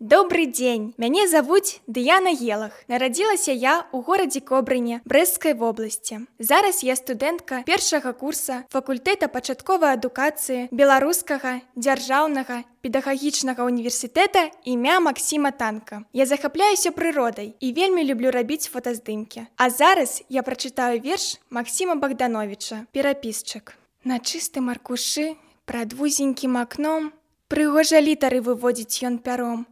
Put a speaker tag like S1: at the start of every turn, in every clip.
S1: Добрый дзень! Мяне завуць Дыяна Елах. Нарадзілася я ў горадзе Кобрыне Брэсцкай вобласці. Зараз я студэнтка першага курса факультэта пачатковай адукацыі Беларускага дзяржаўнага педагагічнага універсітэта імя Максіма Танка. Я захапляюся прыродай і вельмі люблю рабіць фотаздымкі. А зараз я прачытаю верш Максіма Богдановича «Перапісчык». На чыстым аркушы, прад вузенькім акном, прыгожа літары выводзіць ён пяром,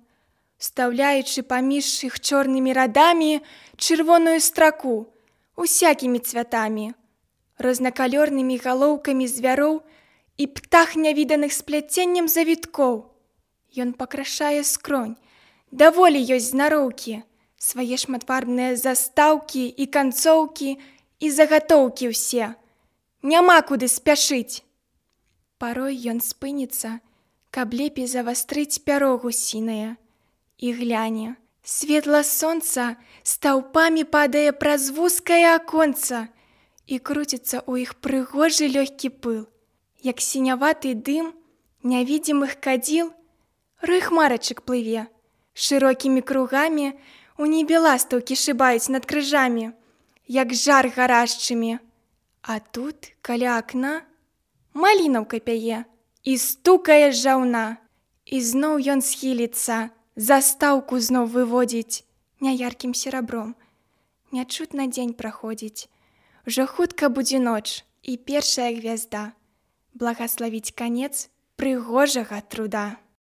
S1: встаўляючы паміж іх чорнымі радамі чырвоную страку усякімі цвятамі, рознакалёрнымі галоўкамі звяроў і птах нявіданых спляценнем завіткоў. Ён пакрашае скронь, даволі ёсць знароўкі, свае шматфарбныя застаўкі і канцоўкі і загатоўкі ўсе. Няма куды спяшыць. Парой ён спыніцца, каб лепей завастрыць пяро гусінае. І гляне, светла сонца стаўпамі падае праз вузкае аконца і круціцца ў іх прыгожы лёгкі пыл. Як сіняваты дым нявідзімых кадзіл, рой хмарачак плыве. Шырокімі кругамі у небе ластаўкі шыбаюць над крыжамі, як жар гарашчымі. А тут, каля акна, малінаўка пяе і стукае жаўна. І зноў ён схіліцца, застаўку зноў выводзіць няяркім серабром. Нячутна дзень праходзіць. Ужо хутка будзе ноч і першая гвязда. Благаславіць канец прыгожага труда.